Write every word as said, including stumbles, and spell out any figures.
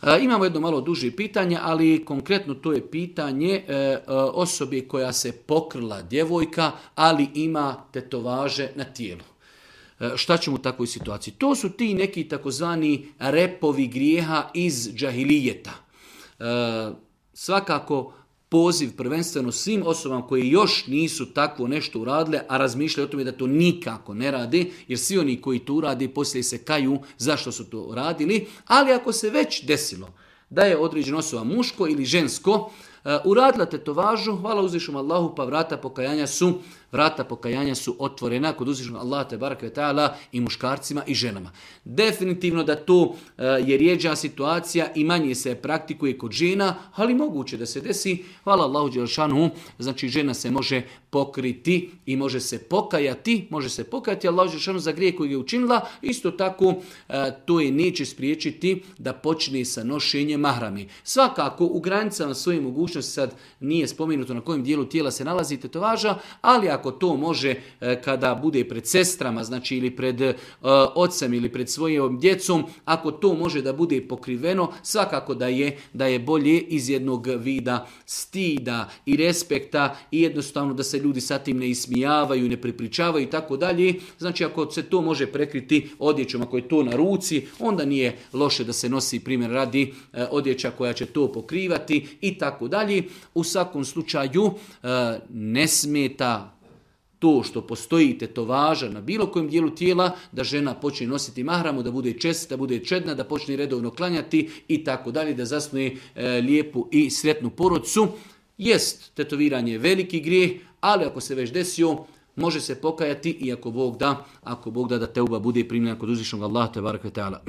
E, imamo jedno malo duže pitanje, ali konkretno to je pitanje e, e, osobe koja se pokrila, djevojka, ali ima tetovaže na tijelu. E, šta ćemo u takvoj situaciji? To su ti neki takozvani repovi grijeha iz džahilijeta. E, svakako poziv prvenstveno svim osobama koji još nisu takvo nešto uradile, a razmišljaju o tome da to nikako ne rade, jer svi oni koji to urade poslije se kaju zašto su to radili, ali ako se već desilo da je određena osoba muško ili žensko uh, uradila tetovažu, hvala uzvišenom Allahu, pa vrata pokajanja su vrata pokajanja su otvorena kod uzvišenog Allaha te bareke ve taala i muškarcima i ženama. Definitivno da to uh, je rjeđa situacija i manje se praktikuje kod žena, ali moguće da se desi. Hvala Allahu dželešanu, znači žena se može pokriti i može se pokajati, može se pokajati Allahu dželešanu za grijeh koji je učinila. Isto tako uh, to je neće spriječiti da počne sa nošenjem mahrami. Svakako u granicama svoje mogućnosti, sad nije spomenuto na kojem dijelu tijela se nalazi tetovaža, ali ako to može kada bude pred sestrama, znači ili pred uh, ocem ili pred svojom djecom, ako to može da bude pokriveno, svakako da je, da je bolje iz jednog vida stida i respekta i jednostavno da se ljudi sa tim ne ismijavaju, ne prepričavaju i tako dalje. Znači ako se to može prekriti odjećom, ako je to na ruci, onda nije loše da se nosi primjer radi uh, odjeća koja će to pokrivati i tako dalje. U svakom slučaju uh, ne smeta to što postoji tetovaža na bilo kojem dijelu tijela, da žena počne nositi mahramu, da bude čestita, da bude čedna, da počne redovno klanjati i tako dalje, da zasnuje e, lijepu i sretnu porodcu. Jest, tetoviranje je veliki grijeh, ali ako se već desio, može se pokajati i ako Bog da, ako Bog da da teuba bude primljena kod uzvišenog Allaha te bareke ve taala.